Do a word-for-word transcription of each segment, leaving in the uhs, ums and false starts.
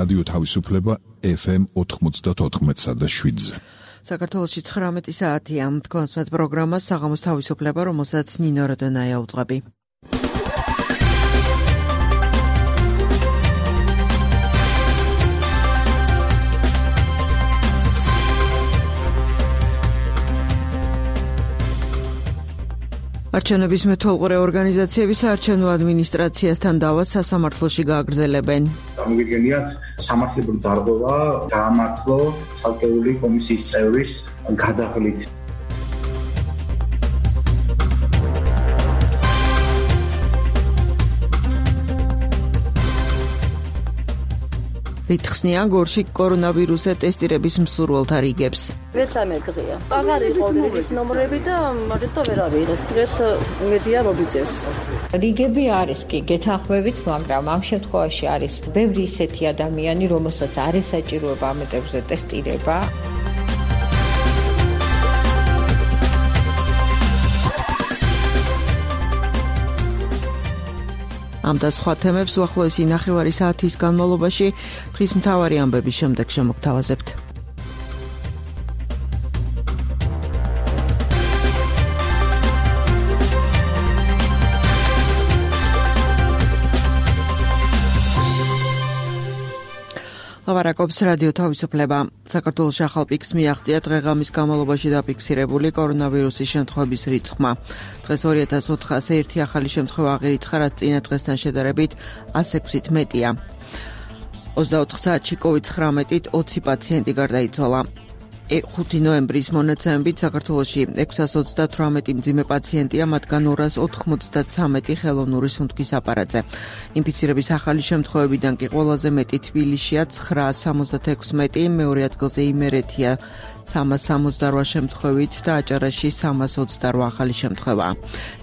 რადიო თავისუფლება ეფ ემ ოთხმოცდაოთხ და შვიდზე. საქართველოში ცხრამეტი საათია. თქვენს პროგრამა საღამოს თავისუფლება, რომელსაც ნინო როდონაია უძღვები. არჩევნების მეთვალყურე ორგანიზაციები საარჩევნო ადმინისტრაციასთან დავას სასამართლოში გააგრძელებენ. Წარმოგიდგენიათ სამართლებრივ დარღვევა გაამართლო ცალკეული კომისიის წევრის გადაღლით. რითხსნია გორში კორონავირუსზე ტესტირების მსურველთა რიგებს. მესამე დღეა. აღარ იყო რიგის ნომრები და მაგითო ვერ ავიღეს. დღეს მედია მობიწევს. რიგები არის კი გეთანხმებით, მაგრამ ამ შემთხვევაში არის ბევრი ისეთი ადამიანი, რომელსაც არ ესაჭიროება ამ ეტაპზე ტესტირება. ამ და სხვა თემებს უახლოესი ნახევარი საათის განმავლობაში დღის მთავარი ამბების შემდეგ შემოგთავაზებთ. ლავარაკობს რადიო თავისუფლება. საქართველოში ახალ პიკს მიაღწია დღეღამის განმავლობაში დაფიქსირებული კორონავირუსის შემთხვევების რიცხვმა. დღეს ორი ათას ოთხასი ერთი ახალი შემთხვევა აღირიცხა, რაც წინა დღესთან შედარებით ას ექვსით მეტია. ოცდაოთხ საათში კოვიდ ცხრამეტით ოცი პაციენტი გარდაიცვალა. ხუთი ნოემბრის მონაცემებით საქართველოში ექვსას ოცდათვრამეტი მძიმე პაციენტია, მათგან ორას ოთხმოცდათსამეტი ხელოვნური სუნთქვის აპარატზე. ინფიცირების ახალი შემთხვევებიდან კი ყველაზე მეტი თბილისშია ცხრაას სამოცდათექვსმეტი, მეორე ადგილზე იმერეთია სამას სამოცდარვა შემთხვევით და აჭარაში სამას ოცდარვა ახალი შემთხვევაა.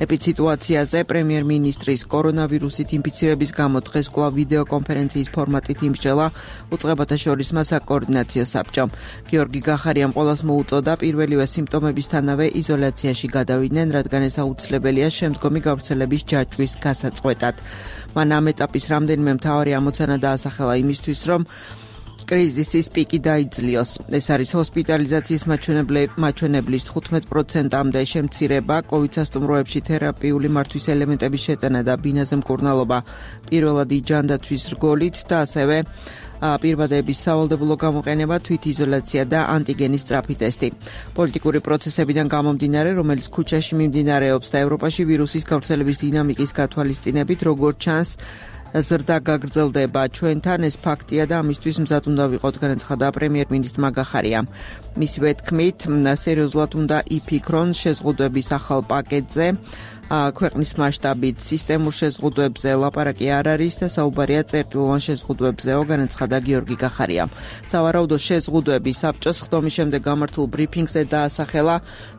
ეპიდსიტუაციაზე პრემიერ-მინისტრის კორონავირუსით ინფიცირების გამო დღეს კვლავ ვიდეო კონფერენციის ფორმატით იმსჯელა უწყებათა შორისმა საკოორდინაციო საბჭომ. გიორგი გახარიამ ყველას მოუწოდა პირველივე სიმპტომებისთანავე იზოლაციაში გადავიდნენ, რადგან ეს აუცილებელია შემდგომი გავრცელების ჯაჭვის გასაწყვეტად. მან ამ ეტაპის რამდენიმე მთავარი ამოცანა დაასახელა იმისთვის, რომ კრიზისის პიკი დაიძლიოს. ეს არის ჰოსპიტალიზაციის მაჩვენებლის თხუთმეტ პროცენტამდე შემცირება, კოვიდ სასტუმროებში თერაპიული მართვის ელემენტების შეტანა და ბინაზე მკურნალობა პირველადი ჯანდაცვის რგოლით და ასევე პირბადების სავალდებულო გამოყენება, თვითიზოლაცია და ანტიგენის სწრაფი ტესტი. პოლიტიკური პროცესებიდან გამომდინარე, რომელიც ქუჩაში მიმდინარეობს და ევროპაში ვირუსის გავრცელების დინამიკის გათვალისწინებით, როგორც ჩანს, ზრდა გაგრძელდება ჩვენთან, ეს ფაქტია და ამისთვის მზად უნდა ვიყოთ, განაცხადა პრემიერ-მინისტრმა გახარიამ. მისივე თქმით, სერიოზულად უნდა იფიქრონ შეზღუდვების ახალ პაკეტზე. ქვეყნის მასშტაბით სისტემურ შეზღუდვებზე ლაპარაკი არ არის და საუბარია წერტილოვან შეზღუდვებზეო, განაცხადა გიორგი გახარიამ. სავარაუდო შეზღუდვები საბჭოს ხდომის შემდეგ გამართულ ბრიფინგზე დაასახელა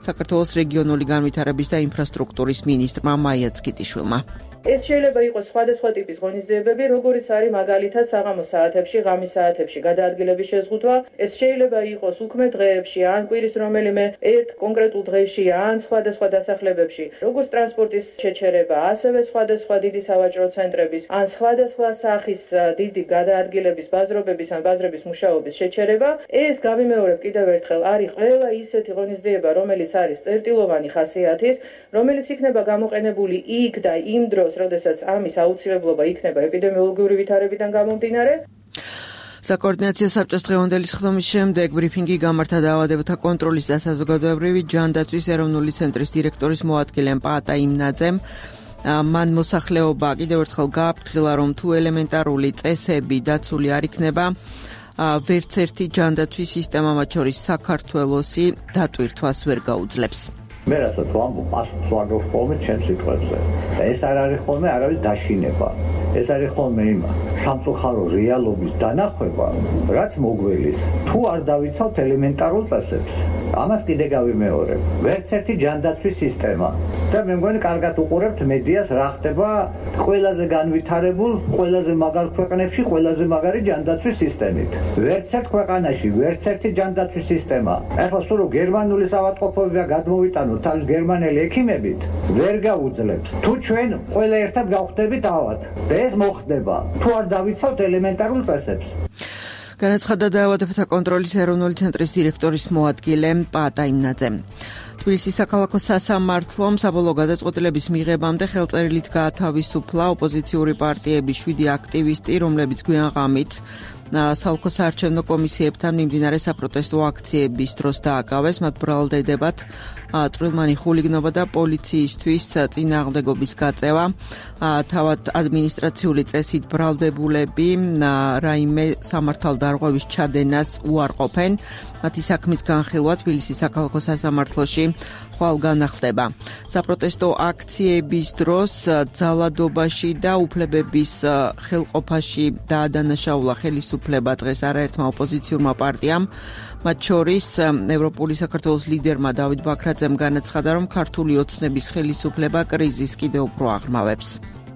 საქართველოს რეგიონული განვითარების და ინფრასტრუქტურის მინისტრმა მაია ცქიტიშვილმა. ეს შეიძლება იყოს სხვადასხვა ტიპის ღონისძიებები, როგორიც არის მაგალითად საღამოს საათებში, ღამის საათებში გადაადგილების შეზღუდვა. ეს შეიძლება იყოს უქმე დღეებში, ან კვირის რომელიმე ერთ კონკრეტულ დღეში, ან სხვადასხვა დასახლებებში, როგორც ტრანსპორტის შეჩერება, ასევე სხვადასხვა დიდი სავაჭრო ცენტრების, ან სხვადასხვა სახის დიდი გადაადგილების, ბაზრობების ან ბაზრების მუშაობის შეჩერება. ეს გავიმეორებ კიდევ ერთხელ, არის ყველა ისეთი ღონისძიება, რომელიც არის წერტილოვანი ხასიათის, რომელიც იქნება გამოყენებული იქ და იმ დროს, როდესაც ამის აუცილებლობა იქნება ეპიდემიოლოგიური ვითარებიდან გამომდინარე. საკოორდინაციო საბჭოს დღევანდელი ხდომის შემდეგ ბრიფინგი გამართა დაავადებათა კონტროლის და საზოგადოებრივი ჯანდაცვის ეროვნული ცენტრის დირექტორის მოადგილემ პაატა იმნაძემ. მან მოსახლეობა კიდევ ერთხელ გააფრთხილა, რომ თუ ელემენტარული წესები დაცული არ იქნება, ვერც ერთი ჯანდაცვის სისტემა, მათ შორის საქართველოსი, დატვირთვას ვერ გაუძლებს. მე რასაც ვამბობ, პასუხს ვაგებ ხოლმე ჩემს სიტყვებზე. და ეს არ არის ხოლმე არავის დაშინება. ეს არის ხოლმე იმ სამწუხარო რეალობის დანახვება, რაც მოგველის. თუ არ დავიცავთ ელემენტარულ წესებს, ამას კიდე გავიმეორებ. ვერც ერთი ჯანდაცვის სისტემა. და მე მგონი კარგად უყურებთ მედიას, რა ხდება ყველაზე განვითარებულ, ყველაზე მაგარ ქვეყნებში, ყველაზე მაგარი ჯანდაცვის სისტემით. ვერც ერთ ქვეყანაში, ვერც ერთი ჯანდაცვის სისტემა. ახლა სულ გერმანული ავადმყოფობა გადმოვიტანოთ თავის გერმანელი ექიმებით, ვერ გაუძლებს. თუ ჩვენ ყველა ერთად გავხდებით ავად. და ეს მოხდება. თუ არ დავიცავთ ელემენტარულ წესებს. განაცხადა დაავადებათა კონტროლის ეროვნული ცენტრის დირექტორის მოადგილე პაატა იმნაძემ. თბილისის საქალაქო სასამართლომ საბოლოო გადაწყვეტილების მიღებამდე ხელწერილით გაათავისუფლა ოპოზიციური პარტიების შვიდი აქტივისტი, რომლებიც გვიან ღამით საოლქო საარჩევნო კომისიებთან მიმდინარე საპროტესტო აქციების დროს დააკავეს. მათ ბრალდებათ წვრილმანი ხულიგნობა და პოლიციისთვის წინააღმდეგობის გაწევა. თავად ადმინისტრაციული წესით ბრალდებულები რაიმე სამართალდარღვევის ჩადენას უარყოფენ. მათი საქმის განხილვა თბილისის საქალაქო სასამართლოში ხვალ განახდება. საპროტესტო აქციების დროს ძალადობაში და უფლებების ხელყოფაში დაადანაშაულა ხელისუფლება დღეს არაერთმა ოპოზიციურმა პარტიამ. მათ შორის ევროპული საქართველოს ლიდერმა დავით ბაქრაძემ განაცხადა, რომ ქართული ოცნების ხელისუფლება კრიზისს კიდევ უფრო აღრმავებს.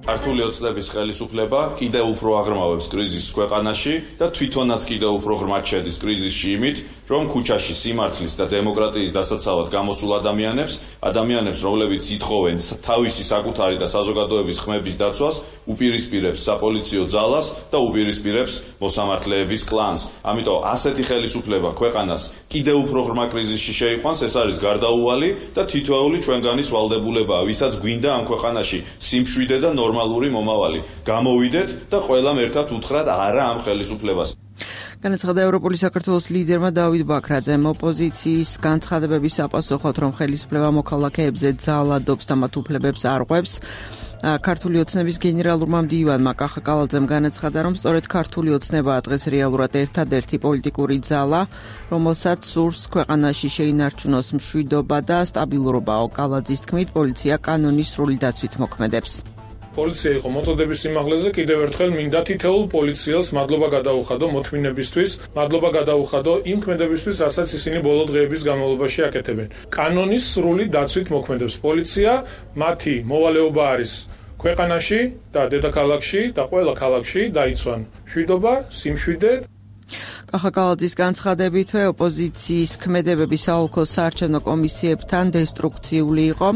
ქართული ოცნების ხელისუფლება კიდევ უფრო აღრმავებს კრიზისს ქვეყანაში და თვითონაც კიდევ უფრო ღრმად შედის კრიზისში იმით, რომ ქუჩაში სიმართლის და დემოკრატიის დასაცავად გამოსულ ადამიანებს, ადამიანებს, რომლებიც ითხოვენ თავისი საკუთარი და საზოგადოების ხმების დაცვას, უპირისპირებს საპოლიციო ძალას და უპირისპირებს მოსამართლეების კლანს. ამიტომ ასეთი ხელისუფლება ქვეყანას კიდევ უფრო ღრმა კრიზისში შეიყვანს, ეს არის გარდაუვალი და თითოეული ჩვენგანის ვალდებულებაა, ვისაც გვინდა ამ ქვეყანაში სიმშვიდე და ნორმალური მომავალი. გამოვიდეთ და ყველამ ერთად უთხრათ არა ამ ხელისუფლებას. განაცხადა ევროპული საქართველოს ლიდერმა დავით ბაქრაძემ. ოპოზიციის განცხადებების საპასუხოდ, რომ ხელისუფლება მოქალაქეებზე ძალადობს და მათ უფლებებს არღვევს, ქართული ოცნების გენერალურმა მდივანმა კახა კალაძემ განაცხადა, რომ სწორედ ქართული ოცნებაა დღეს რეალურად ერთადერთი პოლიტიკური ძალა, რომელსაც სურს ქვეყანაში შეინარჩუნოს მშვიდობა და სტაბილურობა. კალაძის თქმით, პოლიცია კანონის სრული დაცვით მოქმედებს. პოლიცია იყო მოწოდების სიმაღლეზე, კიდევ ერთხელ მინდა თითოეულ პოლიციელს მადლობა გადაუხადო მოთმინებისთვის, მადლობა გადაუხადო იმ ქმედებისთვის, რასაც ისინი ბოლო დღეების განმავლობაში აკეთებენ. კანონის სრული დაცვით მოქმედებს პოლიცია, მათი მოვალეობა არის ქვეყანაში და დედაქალაქში და ყველა ქალაქში დაიცვან მშვიდობა, სიმშვიდე. კახა კალაძის განცხადებით, ოპოზიციის ქმედებები საოლქო საარჩევნო კომისიებთან დესტრუქციული იყო.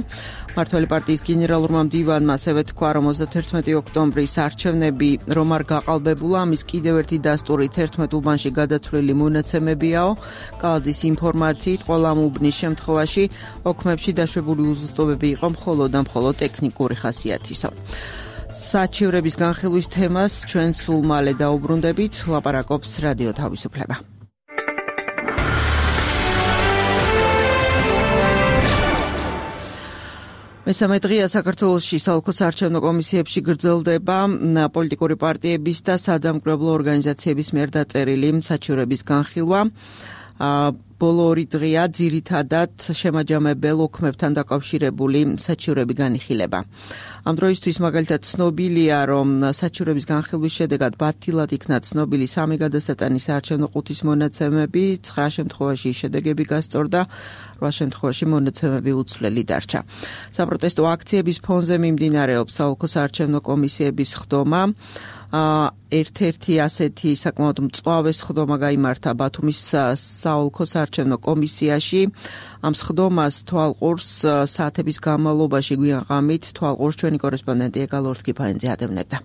მართველი პარტიის გენერალურმა მდივანმა ასევე თქვა, რომ ოცდათერთმეტი ოქტომბრის არჩევნები რომ არ გაყალბებულა, ამის კიდევ ერთი დასტური თერთმეტ უბანში გადათვლილი მონაცემებიაო. კალაძის ინფორმაციით, ყველა ამ უბნის შემთხვევაში ოქმებში დაშვებული უზუსტობები იყო მხოლოდ და მხოლოდ ტექნიკური ხასიათისო. საჩივრების განხილვის თემას ჩვენ სულ მალე დაუბრუნდებით, ლაპარაკობს რადიო თავისუფლება. მესამე დღეა საქართველოში საოლქო საარჩევნო კომისიებში გრძელდება პოლიტიკური პარტიების და სადამკვირვებლო ორგანიზაციების მიერ დაწერილი საჩივრების განხილვა. ბოლო ორი დღეა ძირითადად შემაჯამებელ ოქმებთან დაკავშირებული საჩივრები განიხილება. ამ დროისთვის მაგალითად ცნობილია, რომ საჩივრების განხილვის შედეგად ბათილად იქნა ცნობილი სამი გადასატანის საარჩევნო ყუთის მონაცემები, ცხრა შემთხვევაში შედეგები გასწორდა, რვა შემთხვევაში მონაცემები უცვლელი დარჩა. საპროტესტო აქციების ფონზე მიმდინარეობს საოლქო საარჩევნო კომისიების ხდომა. ერთ-ერთი ასეთი საკმაოდ მწვავე სხდომა გაიმართა ბათუმის საოლქო საარჩევნო კომისიაში. ამ სხდომას თვალყურს საათების განმავლობაში გვიან ღამით თვალყურს ჩვენი კორესპონდენტი ეგალ ორთქიფანიძე ადევნებდა.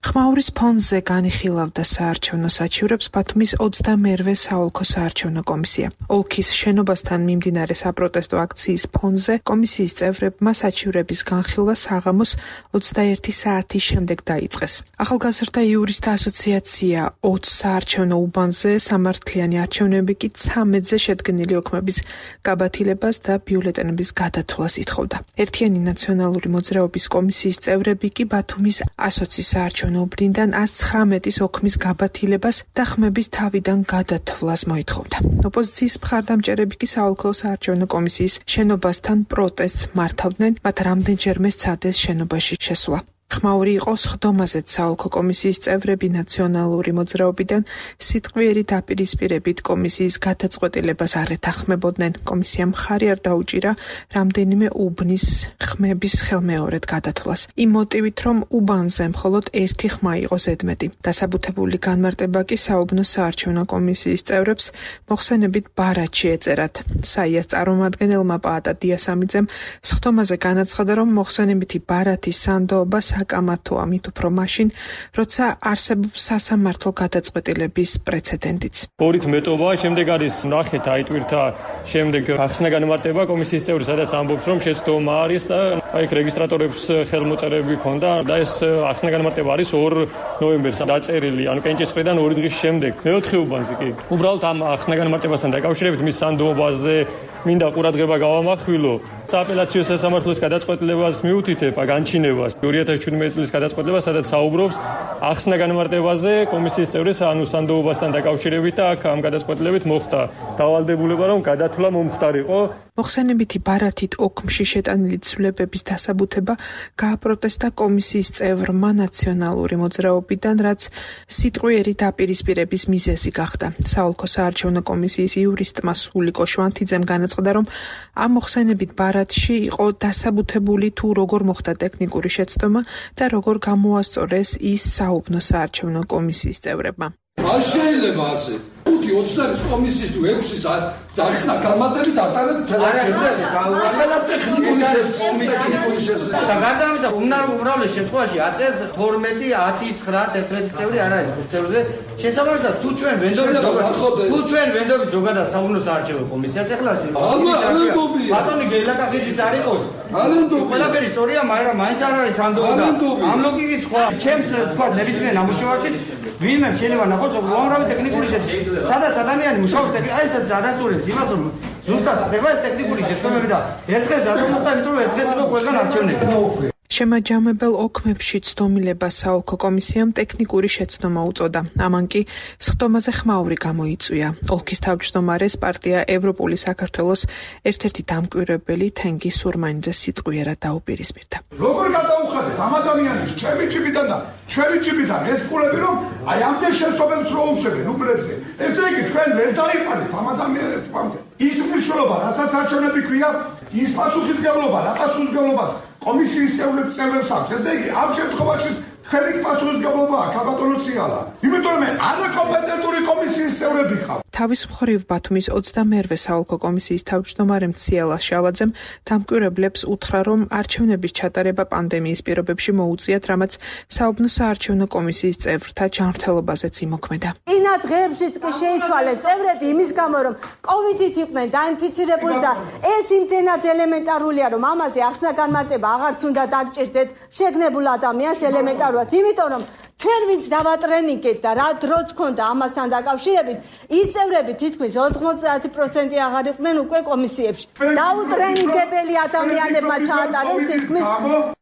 ხმაურის ფონზე განიხილავდა საარჩევნო საჩივრებს ბათუმის ოცდამერვე საოლქო საარჩევნო კომისია. ოლქის შენობასთან მიმდინარე საპროტესტო აქციის ფონზე კომისიის წევრებმა საჩივრების განხილვა საღამოს ოცდაერთი საათის შემდეგ დაიწყეს. ახალგაზრდა იურისტთა ასოციაცია ოცდ საარჩევნო უბანზე სამართლიანი არჩევნები კი ცამეტზე შედგენილი ოქმების გაბათილებას და ბიულეტენების გადათვლას ითხოვდა. ერთიანი ნაციონალური მოძრაობის კომისიის წევრები კი ბათუმის ასოციის საარჩევნო უბნიდან ას ცხრამეტის ოქმის გაბათილებას და ხმების თავიდან გადათვლას მოითხოვდა. ოპოზიციის მხარდამჭერები კი საოლქო საარჩევნო კომისიის შენობასთან პროტესტს მართავდნენ, მათ რამდენჯერმე სცადეს შენობაში შესვლა. ხმაური იყო სხდომაზეც საოლქო კომისიის წევრები ნაციონალური მოძრაობიდან სიტყვიერი დაპირისპირებით კომისიის გადაწყვეტილებას არ ეთანხმებოდნენ. კომისიამ მხარი არ დაუჭირა რამდენიმე უბნის ხმების ხელმეორედ გადათვლას. იმ მოტივით, რომ უბანზე მხოლოდ ერთი ხმა იყო ზედმეტი. დასაბუთებული განმარტება კი საუბნო საარჩევნო კომისიის წევრებს მოხსენებით ბარათში ეწერათ. საიას წარმომადგენელმა პაატა დიასამიძემ სხდომაზე განაცხადა, რომ მოხსენებითი ბარათის სანდოობა საკამათოა, მით უფრო მაშინ, როცა არსებობს სასამართლო გადაწყვეტილების პრეცედენტიც. ორით მეტობა, შემდეგ არის ნახეთ აი ტვირთა შემდეგ ახსნა განმარტება კომისიის წევრი, სადაც ამბობს, რომ შეცდომა არის და აი რეგისტრატორებს ხელმოწერები ჰქონდა და ეს ახსნა განმარტება არის ორ ნოემბერს დაწერილი, ანუ კენჭის მხრიდან ორი დღის შემდეგ. მეოთხე უბანზე კი. უბრალოდ ამ ახსნა განმარტებასთან დაკავშირებით მის სანდოობაზე მინდა ყურადღება გავამახვილო. სააპელაციო სასამართლოს გადაწყვეტილებას მიუთითებ განჩინებას ორი ათას შვიდმეტი წლის გადაწყვეტილებას, სადაც საუბრობს ახსნა განმარტებაზე კომისიის წევრის ანუ სანდოობასთან დაკავშირებით და აქ ამ გადაწყვეტილებით მოხდა დავალდებულება, რომ გადათვლა მომხდარიყო. მოხსენებითი ბარათით ოქმში შეტანილი ცვლილებების დასაბუთება გააპროტესტა კომისიის წევრმა ნაციონალური მოძრაობიდან, რაც სიტყვიერი დაპირისპირების მიზეზი გახდა. საოლქო საარჩევნო კომისიის იურისტმა სულიკო შვანთიძემ განაცხადა, რომ ამ მოხსენებით ბარათში იყო დასაბუთებული თუ როგორ მოხდა ტექნიკური შეცდომა და როგორ გამოასწორეს ის საუბნო საარჩევნო კომისიის წევრებმა. არ შეიძლება ასე. ხუთი ოცდაერის კომისიის თუ ექვსი დახსნა განმარტებით ატარებთ თელევიზორს ტექნიკური შეცდომა და გარდა ამისა უმრავლეს შემთხვევაში აწერს თორმეტი ათი ცხრა ერთმეტი წევრი არ არის ხუთი წევრზე შესაბამისად თუ ჩვენ ვენდობით თუ ჩვენ ვენდობით ზოგადად საუბნო საარჩევნო კომისიას ეხლა ბატონი გელაკახიძის არ იყოს ყველაფერი სწორია, მაგრამ მაინც არ არის ანდობა ამ ლოგიკის სხვა ჩემს თქვა ნებისმიერ ნამუშევარშიც ვინმე შეიძლება ნახოს უამრავი ტექნიკური შეცდომა სადაც ადამიანი მუშაობს აი ეს ადასტურებს იმას რომ ზუსტად ხდება ეს ტექნიკური შეცდომები და ერთ დღეს რატომ მოხდა იმიტომ რომ ერთ დღეს იყო ყველგან არჩევნები. შემაჯამებელ ოქმებში ცდომილებას საოლქო კომისიამ ტექნიკური შეცდომა უწოდა. ამან კი სხდომაზე ხმაური გამოიწვია. ოლქის თავმჯდომარეს პარტია ევროპული საქართველოს ერთ-ერთი დამკვირვებელი თენგი სურმანიძე სიტყვიერად დაუპირისპირდა. როგორ გადაუხადეთ ამ ადამიანებს ჩემი ჯიბიდან და ჩვენი ჯიბიდან ეს ფულები რომ აი ამდენ შეცდომებს რო უჩვენებენ უბრებზე. ესე იგი თქვენ ვერ დაიყარეთ ამ ადამიანებს ამდე. ის მნიშვნელობა, რასაც არჩევნები ქვია, ის პასუხისმგებლობა, რა პასუხისმგებლობას კომისიის წევრებს აქვს. ესე იგი, ამ შემთხვევაში თქვენი პასუხისმგებლობაა ქაბატონო ციალა. იმიტომ რომ არაკომპეტენტური კომისიის წევრები ხარ. თავის მხრივ ბათუმის ოცდამეერვე საოლქო კომისიის თავმჯდომარემ ციალა შავაძემ დამკვირვებლებს უთხრა, რომ არჩევნების ჩატარება პანდემიის პირობებში მოუწიათ, რამაც საუბნო საარჩევნო კომისიის წევრთა ჯანმრთელობაზეც იმოქმედა. ინა დღეებშიც კი შეიცვალეს წევრები იმის გამო, რომ კოვიდით იყვნენ დაინფიცირებული და ეს იმდენად ელემენტარულია, რომ ამაზე ახსნა განმარტება აღარც უნდა დაგჭირდეთ შეგნებულ ადამიანს ელემენტარულად, იმიტომ რომ ჩვენ ვინც დავატრენინგეთ და რა დროც ქონდა ამასთან დაკავშირებით, ის წევრები თითქმის ოთხმოცდაათი პროცენტი აღარ იყვნენ უკვე კომისიებში. დაუტრენინგებელი ადამიანებმა ჩაატარეს თითქმის.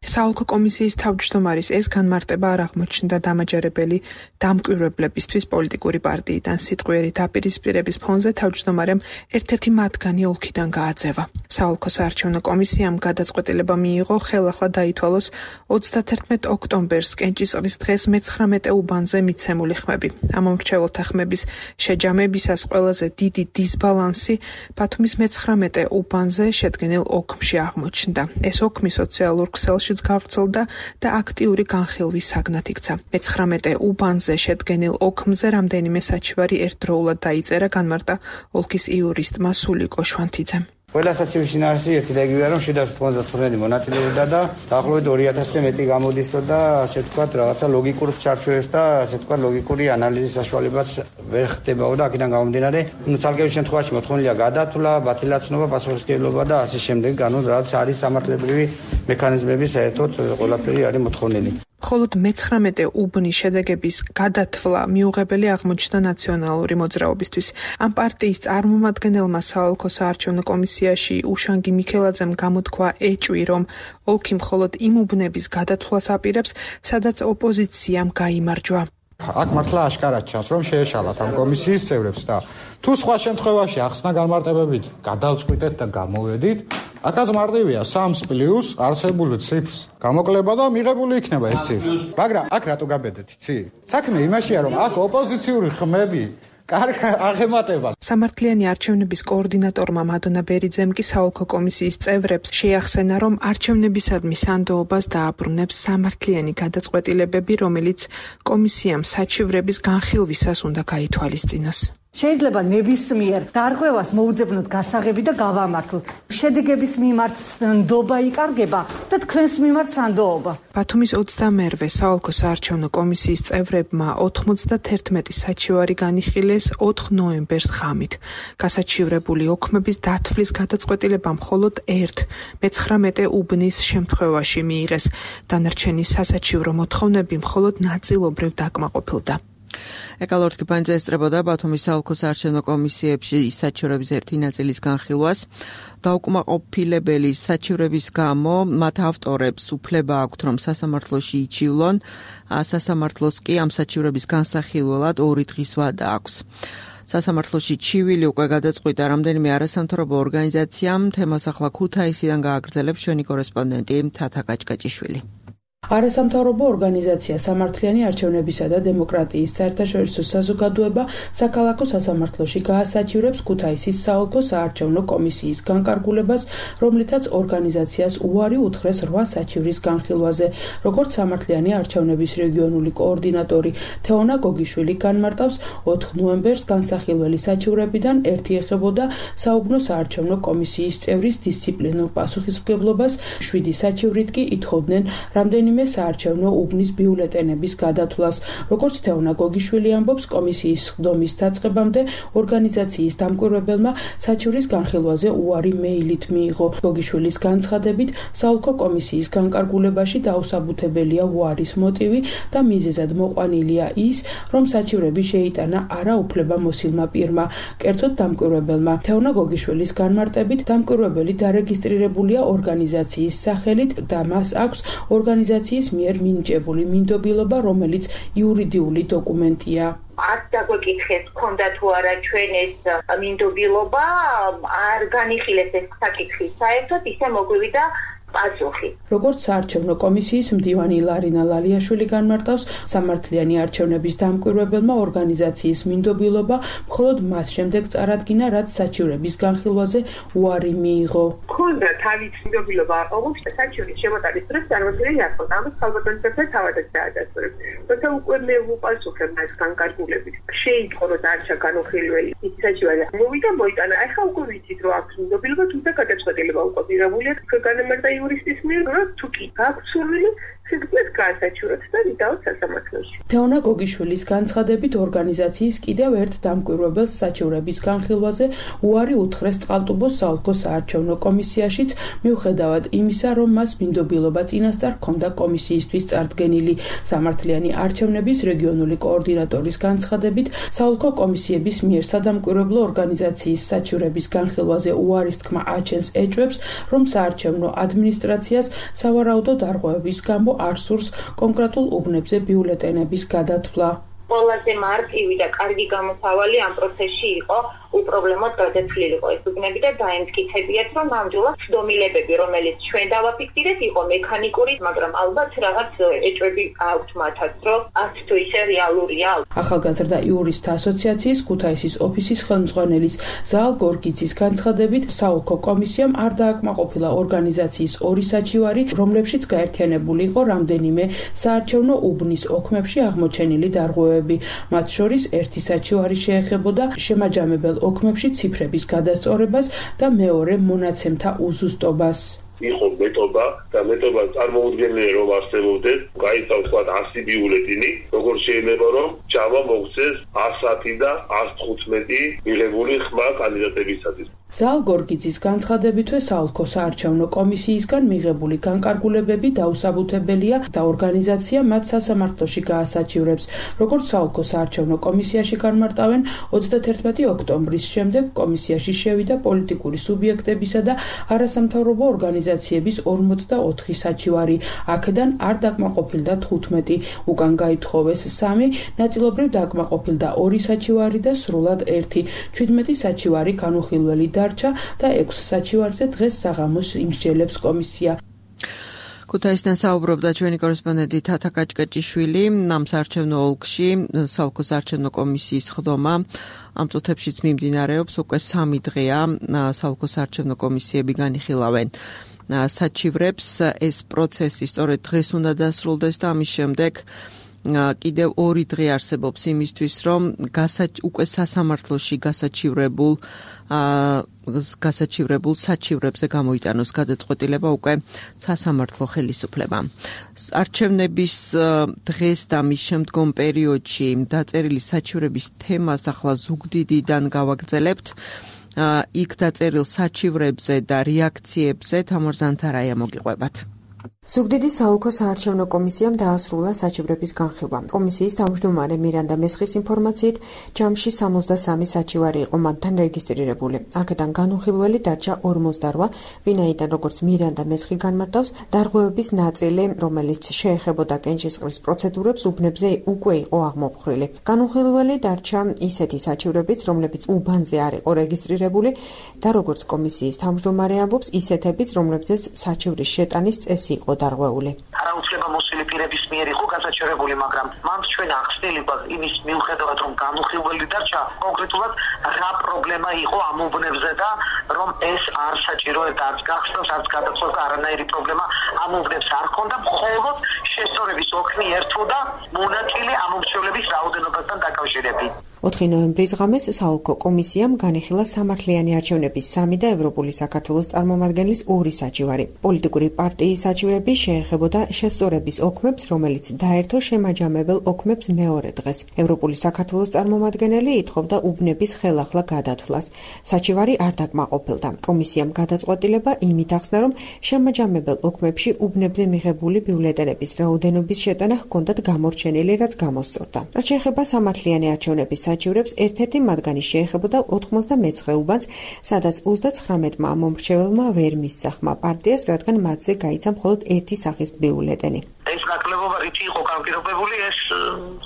საოლქო კომისიის თავმჯდომარის ეს განმარტება არ აღმოჩნდა დამაჯერებელი დამკვირვებლებისთვის პოლიტიკური პარტიიდან სიტყვიერი დაპირისპირების ფონზე თავმჯდომარემ ერთ-ერთი მათგანი ოლქიდან გააძევა. საოლქო საარჩევნო კომისიამ გადაწყვეტილება მიიღო ხელახლა დაითვალოს ოცდათერთმეტ ოქტომბერს კენჭისყრის დღეს მეცხრამეტე უბანზე მიცემული ხმები. ამ მომრჩეველთა ხმების შეჯამებისას ყველაზე დიდი დისბალანსი ბათუმის მეცხრამეტე უბანზე შედგენილ ოქმში აღმოჩნდა. ეს ოქმი სოციალურ ქსელშიც გავრცელდა და აქტიური განხილვის საგნად იქცა. მეცხრამეტე უბანზე შედგენილ ოქმზე რამდენიმე საჩივარი ერთდროულად დაიწერა, განმარტა ოლქის იურისტმა სულიკო შვანთიძემ. ყველა საჩივრის შინაარსი ერთი რეგიონი რომ შვიდას ოთხმოცდათხუთმეტი მონაწილეობდა და დაახლოებით ორი ათასზე მეტი გამოდისო და ასე ვთქვათ რაღაცა ლოგიკურ ჩარჩოებს და ასე ვთქვათ ლოგიკური ანალიზის საშუალებაც ვერ ხდებაო და აქედან გამომდინარე, ნუ ცალკეულ შემთხვევაში მოთხოვნილია გადათვლა, ბათილაცნობა, პასუხისმგებლობა და ასე შემდეგ, ანუ რაც არის სამართლებრივი მექანიზმები საერთოდ ყველაფერი არის მოთხოვნილი. მხოლოდ მეცხრამეტე უბნის შედეგების გადათვლა მიუღებელი აღმოჩნდა ნაციონალური მოძრაობისთვის. ამ პარტიის წარმომადგენელმა საოლქო საარჩევნო კომისიაში უშანგი მიქელაძემ გამოთქვა ეჭვი, რომ ოლქი მხოლოდ იმ უბნების გადათვლას აპირებს, სადაც ოპოზიციამ გაიმარჯვა. აქ მართლა აშკარად ჩანს, რომ შეეშალათ ამ კომისიის წევრებს და თუ სხვა შემთხვევაში ახსნა განმარტებებით გადავწყვიტეთ და გამოვედით, აქაც მარტივია სამს პლუს არსებული ციფრს გამოკლება და მიღებული იქნება ეს ციფრი. მაგრამ აქ რატო გაბედეთ, იცი? საქმე იმაშია, რომ აქ ოპოზიციური ხმები კარგ აღემატება. სამართლიანი არჩევნების კოორდინატორმა მადონა ბერიძემ კი საოლქო კომისიის წევრებს შეახსენა, რომ არჩევნებისადმი სანდოობას დააბრუნებს სამართლიანი გადაწყვეტილებები, რომელიც კომისიამ საჩივრების განხილვისას უნდა გაითვალისწინოს. შეიძლება ნებისმიერ დარღვევას მოუძებნოთ გასაღები და გავამართლოთ. შედეგების მიმართ ნდობა იკარგება და თქვენს მიმართ სანდოობა. ბათუმის ოცდამეერვე საოლქო საარჩევნო კომისიის წევრებმა ოთხმოცდაათერთმეტი საჩივარი განიხილეს ოთხ ნოემბერს ღამით. გასაჩივრებული ოქმების დათვლის გადაწყვეტილება მხოლოდ ერთ მეცხრამეტე უბნის შემთხვევაში მიიღეს. დანარჩენი სასაჩივრო მოთხოვნები მხოლოდ ნაწილობრივ დაკმაყოფილდა. ეკალორთი პანძე ესწრებოდა ბათუმის საოლქო საარჩევნო კომისიებში საჩივრების ერთი ნაწილის განხილვას. დაუკმაყოფილებელი საჩივრების გამო მათ ავტორებს უფლება აქვთ, რომ სასამართლოში იჩივლონ. სასამართლოს კი ამ საჩივრების განსახილველად ორი დღის ვადა აქვს. სასამართლოში ჩივილი უკვე გადაწყვიტა რამდენიმე არასამთავრობო ორგანიზაციამ. თემას ახლა ქუთაისიდან გააგრძელებს ჩვენი კორესპონდენტი თათა კაჭკაჭიშვილი. არასამთავრობო ორგანიზაცია სამართლიანი არჩევნებისა და დემოკრატიის საერთაშორისო საზოგადოება საქალაქო სასამართლოში გაასაჩივრებს ქუთაისის საოლქო საარჩევნო კომისიის განკარგულებას, რომლითაც ორგანიზაციას უარი უთხრეს რვა საჩივრის განხილვაზე. როგორც სამართლიანი არჩევნების რეგიონული კოორდინატორი თეონა გოგიშვილი განმარტავს, ოთხ ნოემბერს განსახილველი საჩივრებიდან ერთი ეხებოდა საუბნო საარჩევნო კომისიის წევრის დისციპლინურ პასუხისმგებლობას, შვიდი საჩივრით კი ითხოვდნენ რამდენიმე საარჩევნო უბნის ბიულეტენების გადათვლას. როგორც თეონა გოგიშვილი ამბობს, კომისიის ხდომის დაწყებამდე ორგანიზაციის დამკვირვებელმა საჩივრის განხილვაზე უარი მეილით მიიღო. გოგიშვილის განცხადებით, საოლქო კომისიის განკარგულებაში დაუსაბუთებელია უარის მოტივი და მიზეზად მოყვანილია ის, რომ საჩივრები შეიტანა არაუფლებამოსილმა პირმა, კერძოდ დამკვირვებელმა. თეონა გოგიშვილის განმარტებით, დამკვირვებელი დარეგისტრირებულია ორგანიზაციის სახელით და მას აქვს ორგანიზაციის მიერ მინიჭებული მინდობილობა, რომელიც იურიდიული დოკუმენტია. არ დაგვეკითხეს, ქონდა თუ არა ჩვენ ეს მინდობილობა, არ განიხილეს ეს საკითხი საერთოდ, ისე მოგვივიდა პასუხი. როგორც საარჩევნო კომისიის მდივანი ლარინა ლალიაშვილი განმარტავს, სამართლიანი არჩევნების დამკვირვებელმა ორგანიზაციის მინდობილობა მხოლოდ მას შემდეგ წარადგინა, რაც საჩივრების განხილვაზე უარი მიიღო. ქონდა თავის მინდობილობა, όμως საჩივრის შემოტანის დროს წარმოქმნილი არ ხონდა. ამას ხალხობრივი თავადაც დაადასტურებს. თუმცა უკვე მე ვუპასუხებ მას განკარგულებით. შეიტყო, რომ დარჩა განუხილველი ის საჩივარი. მოვიდა მოიტანა. ახლა უკვე ვიცით, რომ აქვს მინდობილობა, თუმცა გადაწყვეტილება უკვე მიღებულია. განმარტა იურისტის მიერ, რომ თუ კი გაქვს სურვილი, სიძველეს გაასაჩივროთ და ვიდაოთ სასამართლოში. თეონა გოგიშვილის განცხადებით, ორგანიზაციის კიდევ ერთ დამკვირვებელს საჩივრების განხილვაზე უარი უთხრეს წყალტუბოს საოლქო საარჩევნო კომისიაშიც, მიუხედავად იმისა, რომ მას მინდობილობა წინასწარ ჰქონდა კომისიისთვის წარდგენილი. სამართლიანი არჩევნების რეგიონული კოორდინატორის განცხადებით, საოლქო კომისიების მიერ სადამკვირვებლო ორგანიზაციის საჩივრების განხილვაზე უარის თქმა აჩენს ეჭვებს, რომ საარჩევნო ადმინისტრაციას სავარაუდო დარღვევების გამო არ სურს კონკრეტულ უბნებზე ბიულეტენების გადათვლა. ყველაზე მარტივი და კარგი გამოსავალი ამ პროცესში იყო უპრობლემოდ გადაცვლილიყო ეს უბნები და დაემტკიცებიათ, რომ ნამდვილად ცდომილებები, რომელიც ჩვენ დავაფიქსირეთ, იყო მექანიკური, მაგრამ ალბათ რაღაც ეჭვები აქვთ მათაც, რომ არც თუ ისე რეალურია. ახალგაზრდა იურისტთა ასოციაციის ქუთაისის ოფისის ხელმძღვანელის ზაალ გორგიძის განცხადებით, საოლქო კომისიამ არ დააკმაყოფილა ორგანიზაციის ორი საჩივარი, რომლებშიც გაერთიანებული იყო რამდენიმე საარჩევნო უბნის ოქმებში აღმოჩენილი დარღვევები. მათ შორის ერთი საჩივარი შეეხებოდა შემაჯამებელ ოქმებში ციფრების გადასწორებას და მეორე მონაცემთა უზუსტობას. იყო მეტობა და მეტობა წარმოუდგენელი რომ არსებობდეს, გაიწავს თქვა ასი ბიულეტინი, როგორც შეიძლება რომ ჯამა მოგვცეს ასი და ასი თხუთმეტი მიღებული ხმა კანდიდატებისათვის. ზაალ გორგიძის განცხადებითვე საოლქო საარჩევნო კომისიისგან მიღებული განკარგულებები დაუსაბუთებელია და ორგანიზაცია მათ სასამართლოში გაასაჩივრებს. როგორც საოლქო საარჩევნო კომისიაში განმარტავენ, ოცდათერთმეტი ოქტომბრის შემდეგ კომისიაში შევიდა პოლიტიკური სუბიექტებისა და არასამთავრობო ორგანიზაციების ორმოცდაოთხი საჩივარი. აქედან არ დაკმაყოფილდა თხუთმეტი, უკან გაითხოვეს სამი, ნაწილობრივ დაკმაყოფილდა ორი საჩივარი და სრულად ერთი. ჩვიდმეტი საჩივარი განუხილველი დარჩა და ექვს საჩივარზე დღეს საღამოს იმსჯელებს კომისია. ქუთაისიდან საუბრობდა ჩვენი კორესპონდენტი თათა კაჭკაჭიშვილი. ამ საარჩევნო ოლქში საოლქო საარჩევნო კომისიის ხდომა ამ წუთებშიც მიმდინარეობს, უკვე სამი დღეა საოლქო საარჩევნო კომისიები განიხილავენ საჩივრებს. ეს პროცესი სწორედ დღეს უნდა დასრულდეს და ამის შემდეგ კიდევ ორი დღე არსებობს იმისთვის, რომ უკვე სასამართლოში გასაჩივრებულ გასაჩივრებულ საჩივრებზე გამოიტანოს გადაწყვეტილება უკვე სასამართლო ხელისუფლებამ. არჩევნების დღეს და მის შემდგომ პერიოდში დაწერილი საჩივრების თემას ახლა ზუგდიდიდან გავაგრძელებთ. იქ დაწერილ საჩივრებზე და რეაქციებზე თამარ ზანთარაია მოგიყვებათ. ზუგდიდის საოლქო საარჩევნო კომისიამ დაასრულა საჩივრების განხილვა. კომისიის თავმჯდომარე მირანდა მესხის ინფორმაციით, ჯამში სამოცდასამი საჩივარი იყო მათთან რეგისტრირებული. აქედან განუხილველი დარჩა ორმოცდარვა, ვინაიდან როგორც მირანდა მესხი განმარტავს, დარღვევების ნაწილი, რომელიც შეეხებოდა კენჭისყრის პროცედურებს, უბნებზე უკვე იყო აღმოფხრილი. განუხილველი დარჩა ისეთი საჩივრებიც, რომლებიც უბანზე არ იყო რეგისტრირებული და როგორც კომისიის თავმჯდომარე ამბობს, ისეთებიც, რომლებზეც საჩივრის შეტანის წესი იყო დარღვეული. არაუცლება მოსული პირების მიერ იყო გასაჩივრებული, მაგრამ მან ჩვენ ახსნილი გვაქვს იმის მიუხედავად, რომ განუხილველი დარჩა, კონკრეტულად რა პრობლემა იყო ამ უბნებზე და რომ ეს არ საჭიროებდა არც გახსნას, არც გადაწყვეტს და არანაირი პრობლემა ამ უბნებს არ ჰქონდა, მხოლოდ შესწორების ოქმი ერთვოდა მონაწილე ამ უმრჩევლების რაოდენობასთან დაკავშირებით. ოთხი ნოემბრის ღამეს საოლქო კომისიამ განიხილა სამართლიანი არჩევნების სამი და ევროპული საქართველოს წარმომადგენლის ორი საჩივარი. პოლიტიკური პარტიის საჩივრები შეეხებოდა შესწორების ოქმებს, რომელიც დაერთო შემაჯამებელ ოქმებს მეორე დღეს. ევროპული საქართველოს წარმომადგენელი ითხოვდა უბნების ხელახლა გადათვლას. საჩივარი არ დაკმაყოფილდა. კომისიამ გადაწყვეტილება იმით ახსნა, რომ შემაჯამებელ ოქმებში უბნებზე მიღებული ბიულეტენების რაოდენობის შეტანა ჰქონდათ გამორჩენილი, რაც გამოსწორდა. რაც შეეხება სამართლიანი არჩევნების საჩივრებს, ერთ-ერთი მათგანი შეეხებოდა ოთხმოცდამეცხრე უბანს, სადაც ოცდაცხრამეტმა მომრჩეველმა ვერ მისცახმა პარტიას, რადგან მათზე გაიცა მხოლოდ ერთი სახის ბიულეტენი. ეს ნაკლებობა რითი იყო განპირობებული, ეს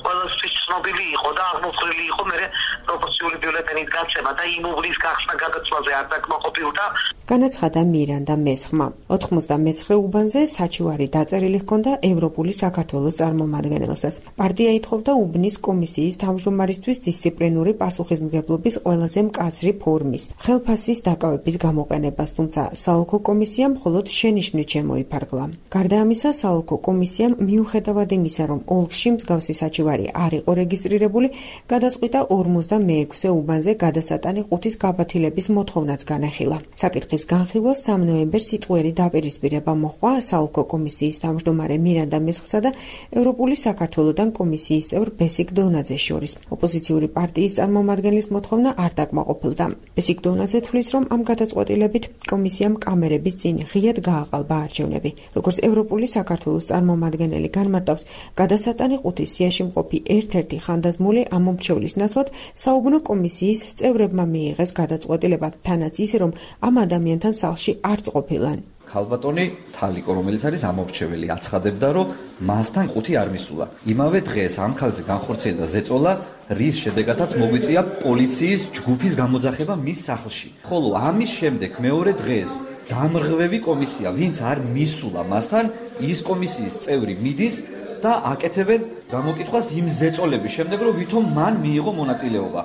ყველასთვის ცნობილი იყო და აღმოფხრილი იყო მერე პროპორციული ბიულეტენით გაცემა და იმ უბნის გახსნა გადაწყვეტაზე არ დაკმაყოფილდა. განაცხადა მირანდა მესხმა. ოთხმოცდამეცხრე უბანზე საჩივარი დაწერილი ჰქონდა ევროპული საქართველოს წარმომადგენელსაც. პარტია ითხოვდა უბნის კომისიის თავმჯდომარისთვის დისციპლინური პასუხისმგებლობის ყველაზე მკაცრი ფორმის, ხელფასის დაკავების გამოყენებას, თუმცა საოლქო კომისიამ მხოლოდ შენიშვნით შემოიფარგლა. გარდა ამისა, საოლქო კომისიამ მიუხედავად იმისა, რომ ოლქში მსგავსი საჩივარი არ იყო რეგისტრირებული, გადაწყვიტა ორმოცდამეექვსე უბანზე გადასატანი ყუთის გაბათილების მოთხოვნაც განახილა. საკითხის განხილვას სამ ნოემბერს სიტყვიერი დაპირისპირება მოჰყვა საოლქო კომისიის თავმჯდომარე მირანდა მესხსა და ევროპული საქართველოდან კომისიის წევრ ბესიკ დონაძეს შორის. ოპოზიციური პარტიის წარმომადგენლის მოთხოვნა არ დაკმაყოფილდა. ბესიკ დონაძე თვლის, რომ ამ გადაწყვეტილებით კომისიამ კამერების წინ ღიად გააყალბა არჩევნები. როგორც ევროპული საქართველოს წარმომადგენელი განმარტავს, გადასატანი ყუთის სიაში მყოფი ერთ-ერთი ხანდაზმული ამ მომრჩევლის ნაცვლად საუბნო კომისიის წევრებმა მიიღეს გადაწყვეტილება, თანაც ისე, რომ ამ ადამიანთან სახლში არც ყოფილან. ქალბატონი თალიკო, რომელიც არის ამორჩეველი, აცხადებდა, რომ მასთან ყუთი არ მისულა. იმავე დღეს ამ ქალზე განხორციელდა ზეწოლა, რის შედეგადაც მოგვიწია პოლიციის ჯგუფის გამოძახება მის სახლში. ხოლო ამის შემდეგ მეორე დღეს დამრღვევი კომისია, ვინც არ მისულა მასთან, ის კომისიის წევრი მიდის და აკეთებენ გამოკითხვას იმ ზეწოლების შემდეგ, რომ ვითომ მან მიიღო მონაწილეობა.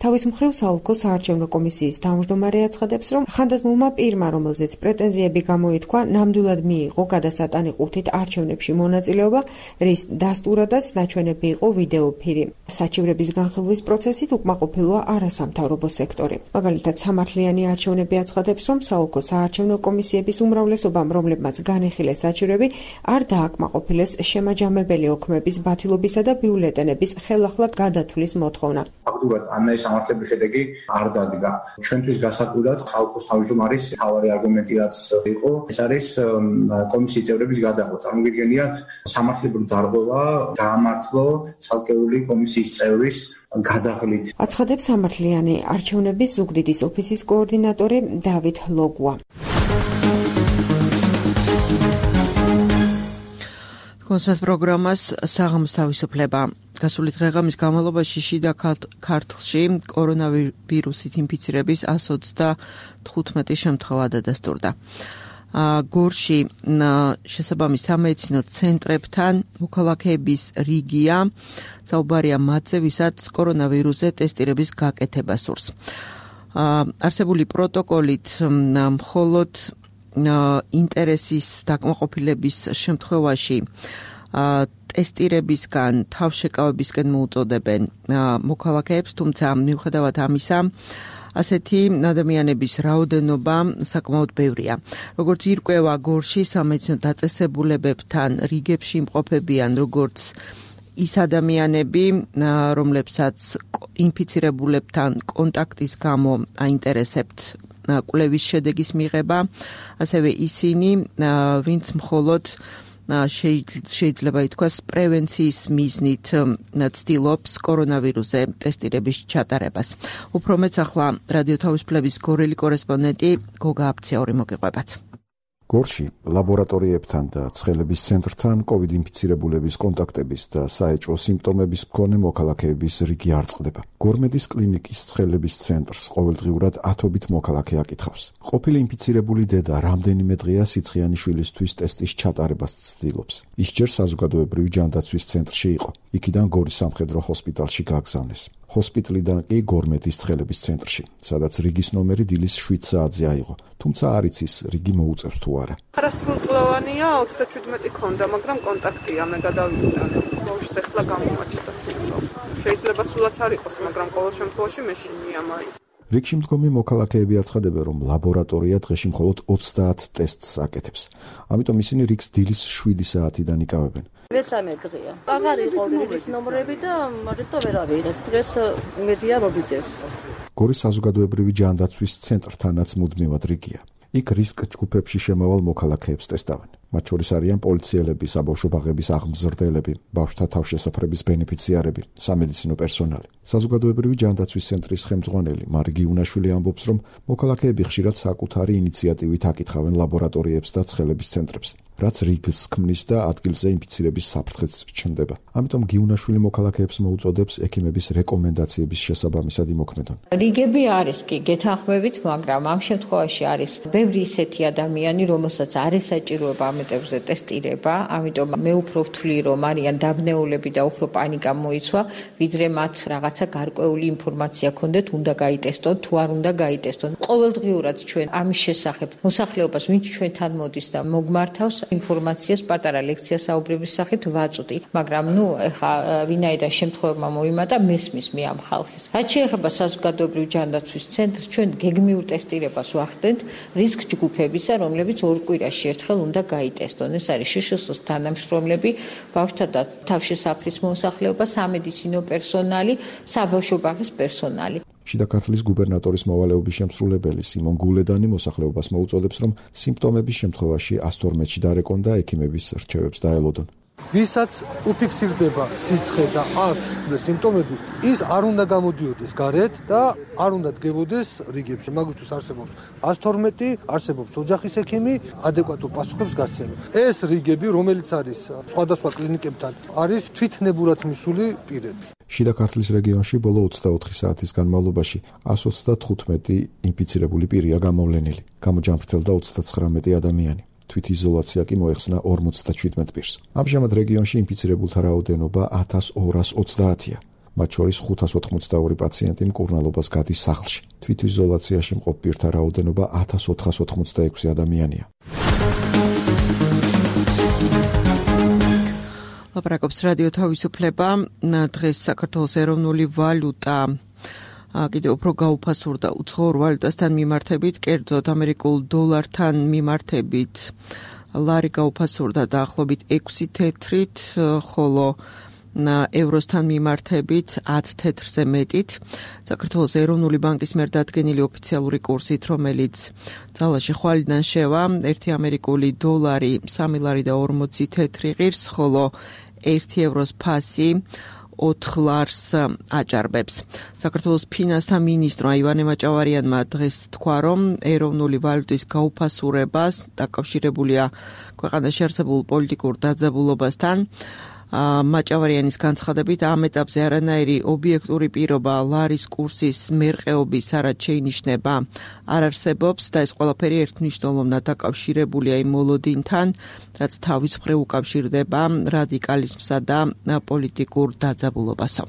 თავის მხრივ საოლქო საარჩევნო კომისიის თავმჯდომარე აცხადებს, რომ ხანდაზმულმა პირმა, რომელზეც პრეტენზიები გამოითქვა, ნამდვილად მიიღო გადასატანი ყუთით არჩევნებში მონაწილეობა, რის დასტურადაც ნაჩვენები იყო ვიდეოფირი. საჩივრების განხილვის პროცესით უკმაყოფილოა არასამთავრობო სექტორი. მაგალითად, სამართლიანი არჩევნები აცხადებს, რომ საოლქო საარჩევნო კომისიების უმრავლესობამ, რომლებმაც განიხილეს საჩივრები, არ დააკმაყოფილეს შემაჯამებელი ოქმების ბათილობისა და ბიულეტენების ხელახლა გადათვლის მოთხოვნა. ფაქტურად ანაის სამართლების შედეგი არ დადგა. ჩვენთვის გასაკვირად საოლქოს თავმჯდომარის მთავარი არგუმენტი რაც იყო, ეს არის კომისიის წევრების გადაღვა. წარმოგიდგენიათ, სამართლებრივ დარღვევა გაამართლო ცალკეული კომისიის წევრის გადაღლით. აცხადებს სამართლიანი არჩევნების ზუგდიდის ოფისის კოორდინატორი დავით ლოგვა. კონსერტ პროგრამას საღამოს თავისუფლება. გასული დღეღამის განმავლობაში შიდა ქართლში კორონავირუსით ინფიცირების εκατს ოცდათხუთმეტი შემთხვევა დადასტურდა. გორში შესაბამის სამედიცინო ცენტრებთან მოქალაქეების რიგია, საუბარია მათზე, ვისაც კორონავირუსზე ტესტირების გაკეთება სურს. არსებული პროტოკოლით მხოლოდ ინტერესის დაკმაყოფილების შემთხვევაში ტესტირებისგან თავშეკავებისკენ მოუწოდებენ მოქალაქეებს, თუმცა მიუხედავად ამისა ასეთი ადამიანების რაოდენობა საკმაოდ ბევრია. როგორც ირკვევა, გორში სამედიცინო დაწესებულებებთან რიგებში იმყოფებიან როგორც ის ადამიანები, რომლებსაც ინფიცირებულებთან კონტაქტის გამო აინტერესებთ კვლევის შედეგის მიღება, ასევე ისინი, ვინც მხოლოდ შეიძლება ითქვას პრევენციის მიზნით ცდილობს კორონავირუსზე ტესტირების ჩატარებას. უფრო მეც ახლა რადიო თავისუფლების გორელი კორესპონდენტი გოგა აფციური მოგიყვებათ. გორში ლაბორატორიებთან და ცხელების ცენტრთან კოვიდ ინფიცირებულების კონტაქტების და საეჭვო სიმპტომების მქონე მოქალაქეების რიგი არ წყდება. გორმედის კლინიკის ცხელების ცენტრს ყოველდღიურად ათობით მოქალაქე აკითხავს. ყოფილი ინფიცირებული დედა რამდენიმე დღეა სიცხიანი შვილისთვის ტესტის ჩატარებას ცდილობს. ის ჯერ საზოგადოებრივი ჯანდაცვის ცენტრში იყო. იქიდან გორის სამხედრო ჰოსპიტალში გაგზავნეს. ჰოსპიტალიდან კი გორმედის ცხელების ცენტრში, სადაც რიგის ნომერი დილის შვიდ საათზე აიღო. თუმცა არ იცის რიგი მოუწევს თუ არა. არასრულწლოვანია, ოცდაჩვიდმეტი ქონდა, მაგრამ კონტაქტია, მე გადავიდანე. ბავშვს ეხლა გამომაჩნდა სიმპტომი. შეიძლება სულაც არ იყოს, მაგრამ ყოველ შემთხვევაში მეშინია მაინც. რიგში მდგომი მოქალაქეები აცხადებენ, რომ ლაბორატორია დღეში მხოლოდ ოცდაათ ტესტს აკეთებს. ამიტომ ისინი რიგს დილის შვიდი საათიდან იკავებენ. მესამე დღეა. აღარ იყო რიგის ნომრები და მარტო ვერ ავიღეს. დღეს მედია მოგიწევს. გორის საზოგადოებრივი ჯანდაცვის ცენტრთანაც მუდმივად რიგია. იქ რისკ ჯგუფებში შემავალ მოქალაქეებს ტესტავენ. მათ შორის არიან პოლიციელები, საბავშვო ბაღების აღმზრდელები, ბავშვთა თავშესაფრების ბენეფიციარები, სამედიცინო პერსონალი. საზოგადოებრივი ჯანდაცვის ცენტრის ხელმძღვანელი მარგი იუნაშვილი ამბობს, რომ მოქალაქეები ხშირად საკუთარი ინიციატივით აკითხავენ ლაბორატორიებს და ცხელების ცენტრებს, რაც რიგს ქმნის და ადგილზე ინფიცირების საფრთხეც ჩნდება. ამიტომ გიუნაშვილი მოქალაქეებს მოუწოდებს ექიმების რეკომენდაციების შესაბამისად იმოქმედონ. რიგები არის კი გეთანხმებით, მაგრამ ამ შემთხვევაში არის ბევრი ისეთი ადამიანი, რომელსაც არ ესაჭიროება ამეტებზე ტესტირება, ამიტომ მე უფრო ვთვლი, რომ არიან დაბნეულები და უფრო პანიკა მოიცვა, ვიდრე მათ რაღაცა გარკვეული ინფორმაცია ქონდეთ, უნდა გაიტესტონ, თუ არ უნდა გაიტესტონ. ყოველდღიურად ჩვენ ამის შესახებ მოსახლეობას, ვინც ჩვენთან მოდის და მოგმართავს, ინფორმაციას პატარა ლექცია საუბრების სახით ვაწვდი, მაგრამ ნუ ეხა ვინაიდან შემთხვევებმა მოიმატა, მესმის მე ამ ხალხის. რაც შეეხება საზოგადოებრივ ჯანდაცვის ცენტრს, ჩვენ გეგმიურ ტესტირებას ვახდენთ რისკ ჯგუფებისა, რომლებიც ორ კვირაში ერთხელ უნდა გაიტესტონ. ეს არის შშს თანამშრომლები, ბავშვთა და თავშესაფრის მოსახლეობა, სამედიცინო პერსონალი, საბავშვო ბაღის პერსონალი. შიდა ქართლის გუბერნატორის მოვალეობის შემსრულებელი სიმონ გულედანი მოსახლეობას მოუწოდებს, რომ სიმპტომების შემთხვევაში ას თორმეტში დარეკონ და ექიმების რჩევებს დაელოდონ. ვისაც უფიქსირდება სიცხე და აქვს სიმპტომები, ის არ უნდა გამოდიოდეს გარეთ და არ უნდა დგებოდეს რიგებში. მაგისთვის არსებობს ას თორმეტი, არსებობს ოჯახის ექიმი, ადეკვატურ პასუხებს გასცემა. ეს რიგები, რომელიც არის სხვადასხვა კლინიკებთან, არის თვითნებურად მისული პირები. შიდა ქართლის რეგიონში ბოლო ოცდაოთხი საათის განმავლობაში ას ოცდათხუთმეტი ინფიცირებული პირია გამოვლენილი. გამოჯამრთელდა ოცდაცხრამეტი ადამიანი. თვითიზოლაცია კი მოეხსნა ორმოცდაჩვიდმეტ პირს. ამჟამად რეგიონში ინფიცირებულთა რაოდენობა ათას ორას ოცდაათია. მათ შორის ხუთას ოთხმოცდაორი პაციენტი მკურნალობას გადის სახლში. თვითიზოლაციაში მყოფ პირთა რაოდენობა ათას ოთხას ოთხმოცდაექვსი ადამიანია. ლაპარაკობს რადიო თავისუფლება. დღეს საქართველოს ეროვნული ვალუტა კიდევ უფრო გაუფასურდა უცხოურ ვალუტასთან მიმართებით, კერძოდ ამერიკულ დოლართან მიმართებით ლარი გაუფასურდა დაახლოებით ექვსი თეთრით, ხოლო ევროსთან მიმართებით ათ თეთრზე მეტით. საქართველოს ეროვნული ბანკის მიერ დადგენილი ოფიციალური კურსით, რომელიც ძალაში ხვალიდან შევა, ერთი ამერიკული დოლარი სამი ლარი და ორმოცი თეთრი ღირს, ხოლო ერთი ევროს ფასი ოთხ ლარს აჭარბებს. საქართველოს ფინანსთა მინისტრმა ივანე მაჭავარიანმა დღეს თქვა, რომ ეროვნული ვალუტის გაუფასურებას დაკავშირებულია ქვეყანაში არსებულ პოლიტიკურ დაძაბულობასთან. მაჭავარიანის განცხადებით, ამ ეტაპზე არანაირი ობიექტური პირობა ლარის კურსის მერყეობის არად შეინიშნება არ არსებობს და ეს ყველაფერი ერთმნიშვნელოვნად დაკავშირებულია იმ მოლოდინთან, რაც თავის მხრივ უკავშირდება რადიკალიზმსა და პოლიტიკურ დაძაბულობასო.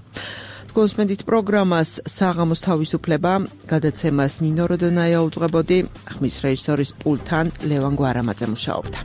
გულისხმობთ პროგრამას საღამოს თავისუფლება, გადაცემას ნინო როდონაია უძღვებოდი, ხმის რეჟისორის პულტთან ლევან გვარამაძე მუშაობდა.